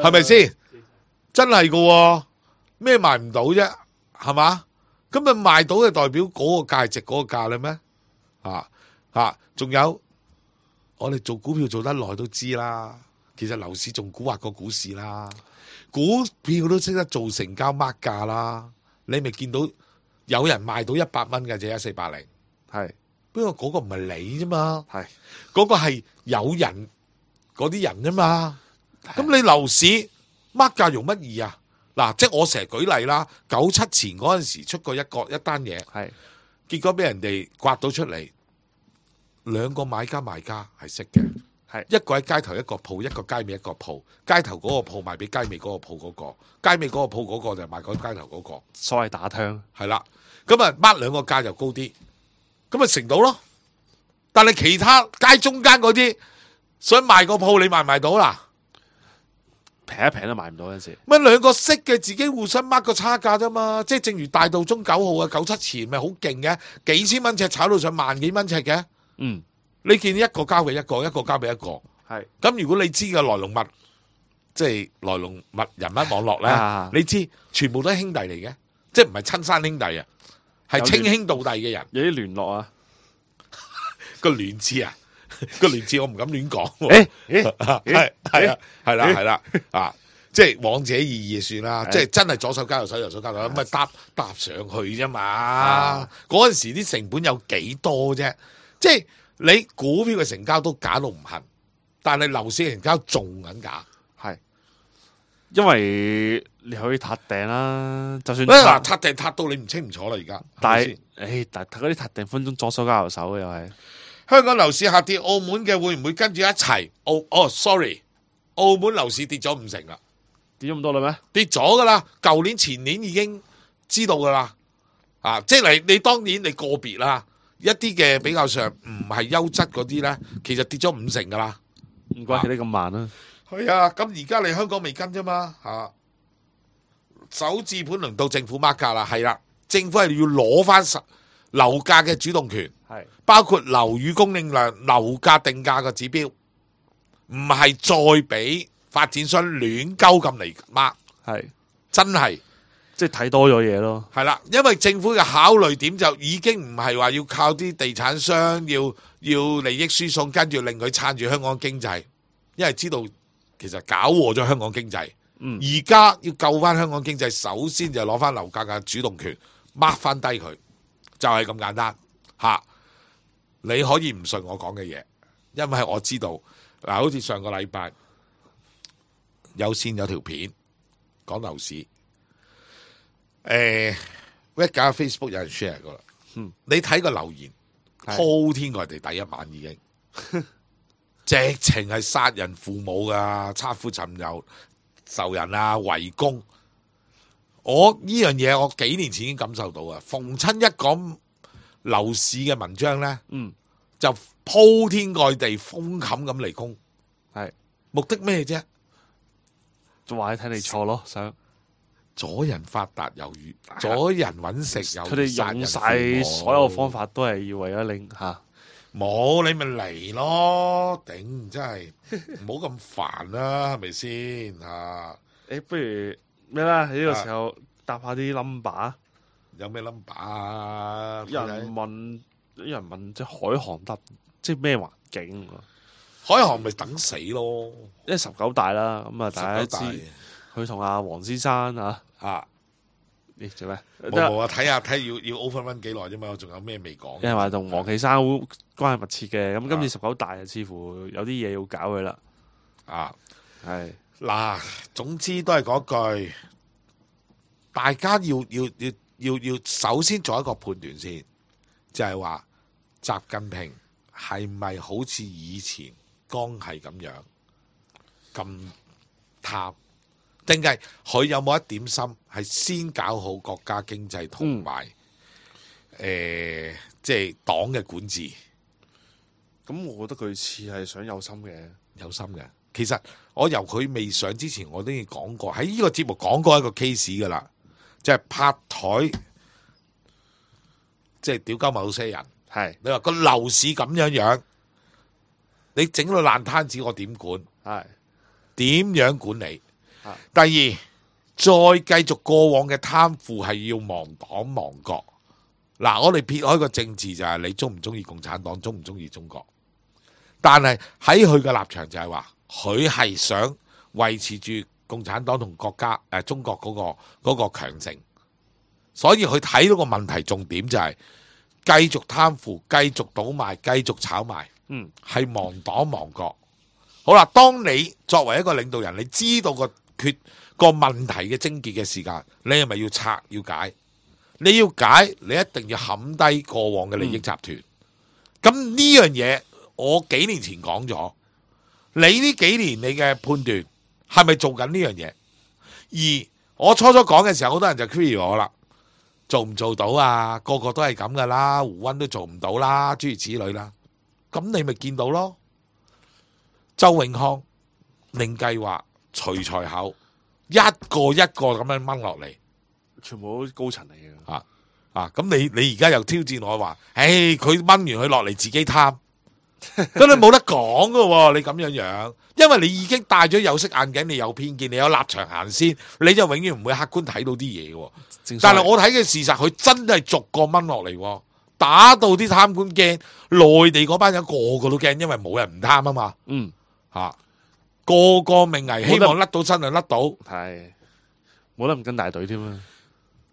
係咪先？真係噶，咩賣唔到啫？係嘛？咁咪賣到嘅代表嗰個價值嗰個價啦咩？仲有我哋做股票做得耐都知啦，其實樓市仲蠱惑過股市啦，股票都識得做成交mark價啦，你咪見到。有人賣到100蚊嘅啫，1480，係，不過嗰個唔係你啫嘛，係，嗰個係有人嗰啲人啫嘛。咁你樓市乜價用乜易啊？嗱，即係我成日舉例啦，97前嗰陣時出過一單嘢，係，結果俾人哋刮到出嚟，2個買家賣家係識嘅，係，一個喺街頭一個鋪，一個街尾一個鋪，街頭嗰個鋪賣俾街尾嗰個鋪嗰個，街尾嗰個鋪嗰個就賣嗰街頭嗰個，所謂打槍，係啦。咁啊，mark 2個價就高啲，咁咪成到咯。但係其他街中間嗰啲想賣個鋪，你賣唔賣到啦？平一平都賣唔到嗰陣時。乜2個識嘅自己互相 mark 個差價啫嘛？即係正如大道中9號啊，97前咪好勁嘅，幾千蚊尺炒到上萬幾蚊尺嘅。嗯，你見一個交俾一個，一個交俾一個。係。咁如果你知嘅來龍物，即係來龍物人物網絡咧，你知全部都係兄弟嚟嘅，即係唔係親生兄弟啊？係稱兄道弟嘅人，有啲聯絡啊，個聯字啊，個聯字我唔敢亂講。係啦，即係往者意義算啦，即係真係左手交右手，右手交右手，咁咪搭上去啫嘛。嗰陣時啲成本有幾多啫？即係你股票嘅成交都假到唔恨，但係樓市嘅成交仲緊假。係，因為你可以撻訂啦，就算嗱撻訂撻到你唔清唔楚啦，而家。但係，但嗰啲撻訂分鐘左手交右手嘅又係。香港樓市下跌，澳門嘅會唔會跟住一齊？sorry， 澳門樓市跌咗50%啦，跌咗咁多啦咩？跌咗噶啦，舊年前年已經知道噶啦，即係你當然你個別啦，一啲嘅比較上唔係優質嗰啲咧，其實跌咗50%噶啦，唔怪得你咁慢啦。係啊，咁而家你香港未跟啫嘛，首置盤輪到政府mark價啦，係啦，政府係要攞翻樓價嘅主動權，係包括樓宇供應量、樓價定價嘅指標，唔係再俾發展商亂鳩咁嚟mark，係真係即係睇多咗嘢咯。係啦，因為政府嘅考慮點就已經唔係話要靠啲地產商要利益輸送，跟住令佢撐住香港經濟，因為知道其實搞禍咗香港經濟。而家要救翻香港經濟，首先就攞翻樓價嘅主動權，mark翻低佢，就係咁簡單吓。你可以唔信我講嘅嘢，因為我知道嗱，好似上個禮拜有線有條片講樓市，一搞 Facebook 有人 share 過啦，你睇個留言鋪天蓋地，第一晚已經直情係殺人父母噶，差夫尋友仇人啊，圍攻。我呢樣嘢我幾年前已經感受到啊，逢親一講樓市嘅文章咧，就鋪天蓋地封冚咁嚟攻，係目的咩啫？就話你睇你錯咯，想阻人發達猶豫，阻人揾食猶佢哋用晒所有方法都係要為咗令嚇。冇你咪嚟咯，頂真係唔好咁煩啦，係咪先嚇？不如咩啦？喺呢個時候答下啲 number。有咩 number 啊？有人問即係海航得，即係咩環境？海航咪等死咯，因為19大啦，咁啊大家知19佢同阿黃先生啊，大咦做咩？冇啊！睇要 overrun 幾耐啫嘛，我仲有咩未講？因為話同黃岐山好關係密切嘅，咁今次19大啊，似乎有啲嘢要搞佢啦。啊，係嗱，總之都係嗰句，大家要首先做一個判斷先，就係話習近平係咪好似以前剛係咁樣咁貪，定係佢有冇一點心係先搞好國家經濟同埋即係黨嘅管治？咁，我覺得佢似係想有心嘅，有心嘅。其實我由佢未上之前，我都已經講過，喺呢個節目講過一個 case 噶啦，即係拍台，即係屌鳩某些人。係你話個樓市咁樣，你整到爛攤子，我點管？係點樣管理？第二，再繼續過往嘅貪腐係要亡黨亡國。嗱，我哋撇開個政治就係你中唔中意共產黨，中唔中意中國？但係喺佢嘅立場就係話，佢係想維持住共產黨同國家中國嗰個強盛，所以佢睇到個問題重點就係繼續貪腐、繼續倒賣、繼續炒賣，係亡黨亡國。好啦，當你作為一個領導人，你知道個問題嘅症結嘅時間，你係咪要拆要解？你要解，你一定要冚低過往嘅利益集團。咁呢樣嘢，我幾年前講咗，你呢幾年你嘅判斷係咪做緊呢樣嘢？而我初講嘅時候，好多人就 query 我啦，做唔做到啊？個個都係咁噶啦，胡溫都做唔到啦，諸如此類啦。咁你咪見到咯，周永康令計劃徐才厚，一個一個咁樣掹落嚟，全部都高層嚟嘅。咁你而家又挑戰我話，佢掹完佢落嚟自己貪，咁你冇得講噶喎，你咁樣，因為你已經戴咗有色眼鏡，你有偏見，你有立場行先，你就永遠唔會客觀睇到啲嘢嘅。但係我睇嘅事實，佢真係逐個掹落嚟，打到啲貪官驚，內地嗰班人個個都驚，因為冇人唔貪啊嘛。個個命危，希望甩到身就甩到，係冇得唔跟大隊添啊！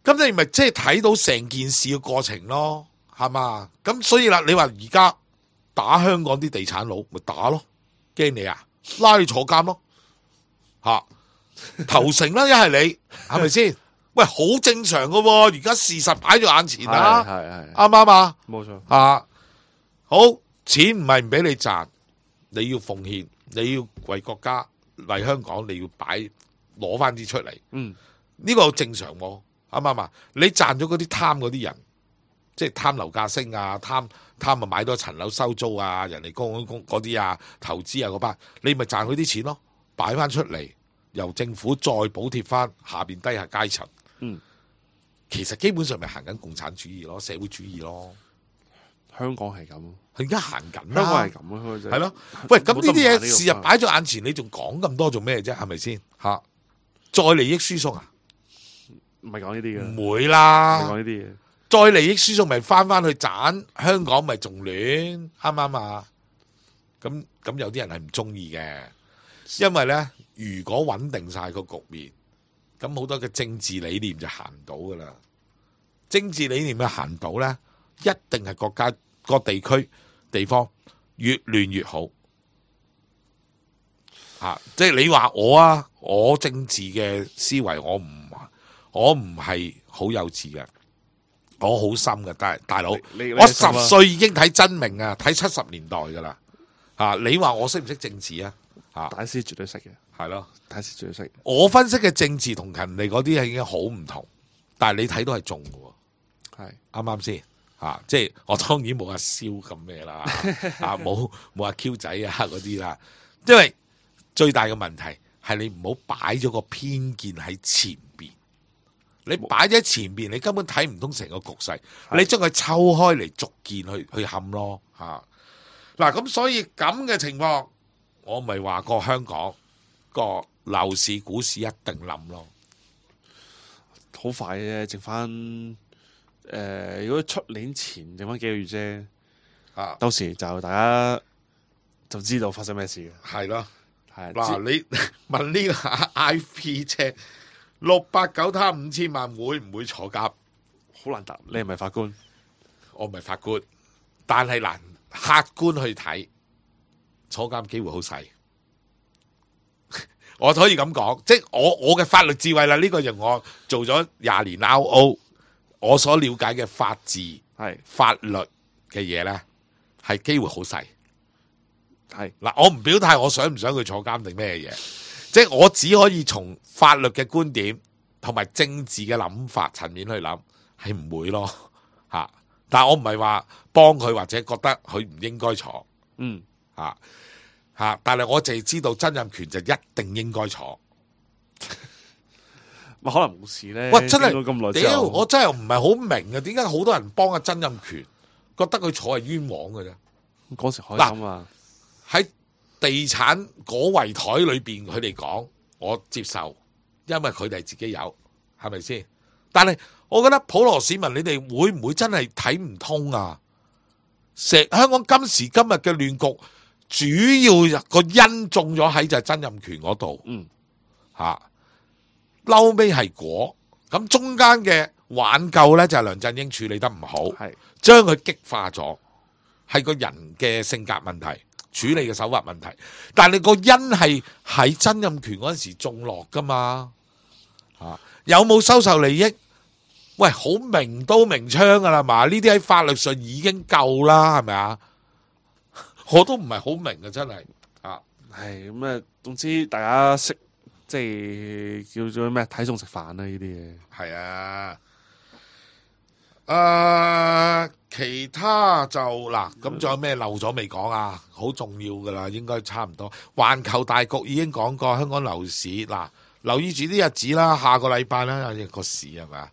咁你咪即係睇到成件事嘅過程咯，係嘛？咁所以啦，你話而家打香港啲地產佬，咪打咯，驚你啊，拉你坐監咯，投誠啦，一係你係咪先？喂，好正常噶，而家事實擺咗眼前啦，啱唔啱啊？冇錯好，錢唔係唔俾你賺，你要奉獻，你要為國家為香港，你要攞翻啲出嚟，呢個正常喎。啱唔啱啊？你賺咗嗰啲貪嗰啲人，即係貪樓價升啊，貪啊買多層樓收租啊，人哋公嗰啲啊，投資啊嗰班，你咪賺佢啲錢咯，擺翻出嚟，由政府再補貼翻下邊低下階層。其實基本上咪行緊共產主義咯，社會主義咯。香港係咁，佢而家行緊，香港係咁啊，係咯。喂，咁呢啲嘢事實擺咗眼前，你仲講咁多做咩啫？係咪先？再利益輸送啊？唔係講呢啲嘅，唔會啦。唔係講呢啲嘢，再利益輸送咪翻去賺香港咪仲亂，啱唔啱啊？咁有啲人係唔中意嘅，因為咧，如果穩定晒個局面，咁好多嘅政治理念就行唔到噶啦。政治理念嘅行到咧，一定係國家個地區地方越亂越好。即係你話我政治嘅思維我唔係好幼稚嘅，我好深嘅，但係大佬，我10歲已經睇真明啊，睇70年代噶啦。你話我識唔識政治啊？大師絕對識嘅，係咯，大師絕對識。我分析嘅政治同人哋嗰啲係已經好唔同，但係你睇到係中嘅喎，係啱啱先？即係我當然冇阿蕭咁咩啦，冇阿 Q 仔啊嗰啲啦，因為最大嘅問題係你唔好擺咗個偏見喺前邊，你擺咗喺前邊，你根本睇唔通成個局勢，你將佢抽開嚟逐件去冚咯嗱，咁所以咁嘅情況，我咪話過香港個樓市股市一定冧咯，好快嘅，剩翻如果出年前剩翻幾個月啫，到時就大家就知道發生咩事嘅。係咯，係嗱，你問呢個 I P 車689貪5000萬會唔會坐監？好難答，你係咪法官？我唔係法官，但係難客觀去睇，坐監機會好細。我可以咁講，即係我嘅法律智慧啦。呢個就我做咗20年 RO， 我所了解嘅法治係法律嘅嘢咧，係機會好細。係嗱，我唔表態，我想唔想佢坐監定咩嘢？即係我只可以從法律嘅觀點同埋政治嘅諗法層面去諗，係唔會咯吓。但係我唔係話幫佢或者覺得佢唔應該坐，但係我淨係知道曾蔭權就一定應該坐。可能冇事咧。喂，真係咁耐之後屌，我真係唔係好明啊！點解好多人幫阿曾蔭權，覺得佢坐係冤枉嘅啫？嗰時開心啊！喺地產嗰圍台裏邊，佢哋講我接受，因為佢哋自己有，係咪先？但係我覺得普羅市民，你哋會唔會真係睇唔通啊？香港今時今日嘅亂局，主要個因中咗喺就係曾蔭權嗰度，嬲尾係果，咁中間嘅挽救呢，就係梁振英處理得唔好，將佢激化咗，係個人嘅性格問題。處理嘅手法問題，但係個因係喺曾蔭權嗰陣時種落噶嘛，有冇收受利益？喂，好明刀明槍噶啦嘛，呢啲喺法律上已經夠啦，係咪啊？我都唔係好明啊，真係係咁啊，總之大家識即係叫做咩睇餸食飯啦，呢啲嘢係其他就嗱，咁仲有咩漏咗未講啊？好重要噶啦，應該差唔多。環球大局已經講過，香港樓市嗱，留意住啲日子啦，下個禮拜啦，個市係咪？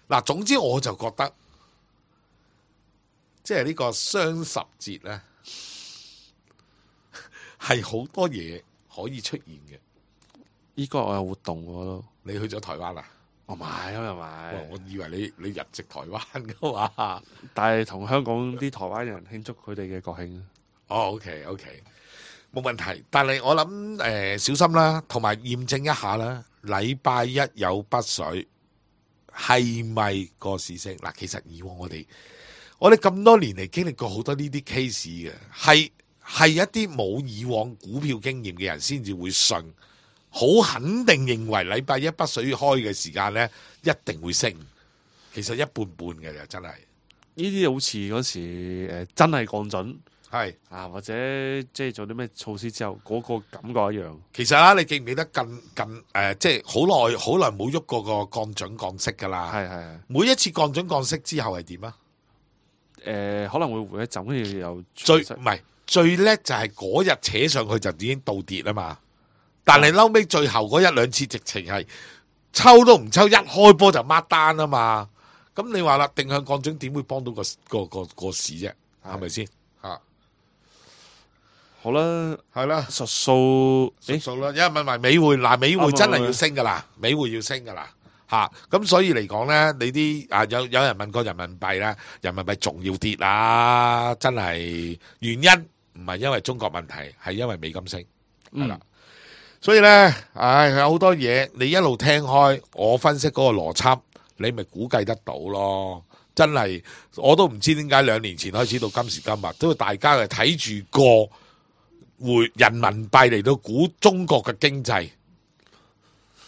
嗱，總之我就覺得，即係呢個雙十節咧，係好多嘢可以出現嘅。依個我有活動喎都，你去咗台灣啊？我買咁又買，我以為你入籍台灣噶嘛，但係同香港啲台灣人慶祝佢哋嘅國慶。OK，冇問題。但係我諗小心啦，同埋驗證一下啦。禮拜一有北水，係咪個市升？嗱，其實以往我哋咁多年嚟經歷過好多呢啲 case 嘅，係一啲冇以往股票經驗嘅人先至會信。好肯定認為禮拜一北水開嘅時間呢，一定會升。其實一半半嘅就真係。呢啲好似嗰時真係降準，係或者即係做啲咩措施之後，嗰個感覺一樣。其實啦，你記唔記得近即係好耐冇喐過個降準降息噶啦？係。每一次降準降息之後係點啊？可能會回一陣，跟住又最叻就係嗰日扯上去就已經倒跌啊嘛。但係嬲尾最後嗰一兩次直情係抽都唔抽，一開波就孖單啊嘛！咁你話啦，定向降準點會幫到個市啫？係咪先？好啦，係啦，實數啦。有人問埋美匯，嗱，美匯真係要升噶啦，美匯要升噶啦咁所以嚟講咧，你啲有人問過人民幣咧，人民幣仲要跌啦，真係原因唔係因為中國問題，係因為美金升係啦。所以咧，有好多嘢你一路聽開，我分析嗰個邏輯，你咪估計得到咯。真係，我都唔知點解2年前開始到今時今日，都大家係睇住個人民幣嚟到估中國嘅經濟。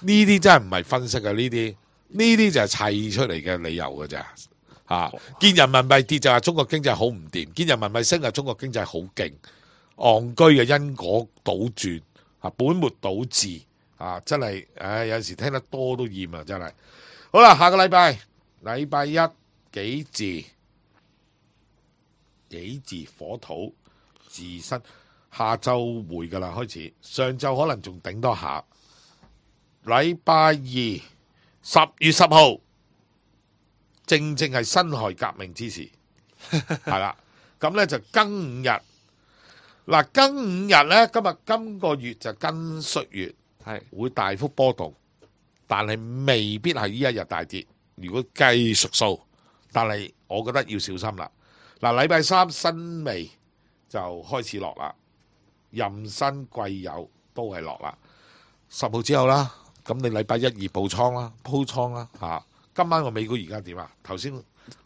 呢啲真係唔係分析啊，呢啲就係砌出嚟嘅理由㗎咋。見人民幣跌就話中國經濟好唔掂，見人民幣升就中國經濟好勁，戇居嘅因果倒轉。本末倒置真係，有陣時聽得多都厭啊！真係。好啦，下個禮拜一幾字？己字火土自身，下晝回噶啦開始，上晝可能仲頂多下。禮拜二10月10號，正正係辛亥革命之時，係啦。咁咧就庚午日。嗱，庚午日咧，今個月就庚戌月，係會大幅波動，但係未必係呢一日大跌。如果計屬數，但係我覺得要小心啦。嗱，禮拜三辛未就開始落啦，壬申癸酉都係落啦。10號之後啦，咁你禮拜1、2補倉啦，鋪倉啦嚇。今晚個美股而家點啊？頭先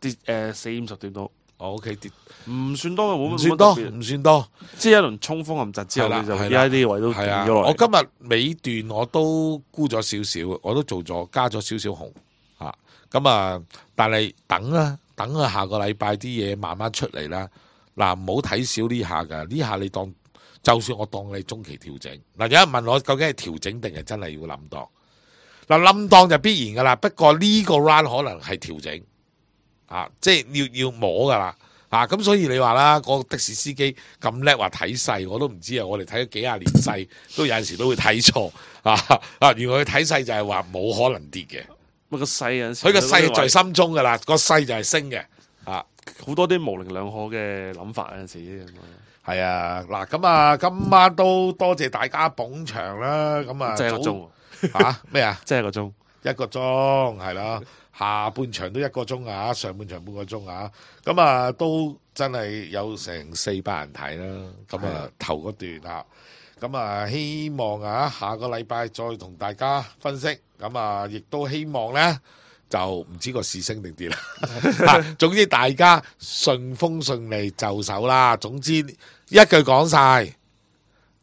跌40-50點到。OK 跌唔算多嘅，冇乜唔算多，特別唔算多。即係一輪衝鋒陷陣之後，你就而家啲位都跌咗落嚟。我今日尾段我都沽咗少少，我都做咗加咗少少紅嚇。咁啊，但係等啊，等啊，下個禮拜啲嘢慢慢出嚟啦。嗱，唔好睇少呢下㗎，呢下你當就算我當你中期調整。嗱，有人問我究竟係調整定係真係要冧檔？嗱，冧檔就必然㗎啦，不過呢個 round 可能係調整。即係要摸噶啦，咁所以你話啦，個的士司機咁叻話睇勢，我都唔知啊。我哋睇咗幾廿年勢，都有陣時都會睇錯原來佢睇勢就係話冇可能跌嘅。個勢有陣時，佢個勢在心中噶啦，個勢就係升嘅。好多啲模棱兩可嘅諗法有陣時。係啊，嗱咁啊，今晚都多謝大家捧場啦。咁啊，即係一個鐘咩啊？即係一個鐘，一個鐘係啦。下半場都1個鐘啊，上半場半個鐘啊，咁啊都真係有成400人睇啦。咁啊頭嗰段咁啊希望下個禮拜再同大家分析。咁啊亦都希望呢，就唔知個市升定跌啦。總之大家順風順利就手啦。總之一句講晒，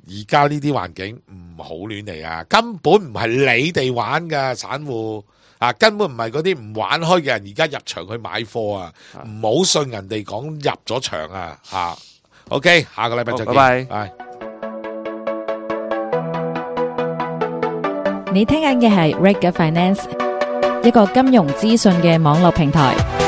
而家呢啲環境唔好亂嚟啊！根本唔係你哋玩㗎散戶。根本唔係嗰啲唔玩開嘅人，而家入場去買貨啊！唔好信人哋講入咗場啊！OK， 下個禮拜再見，拜拜。你聽緊嘅係 Reg Finance，一個金融資訊嘅網絡平台。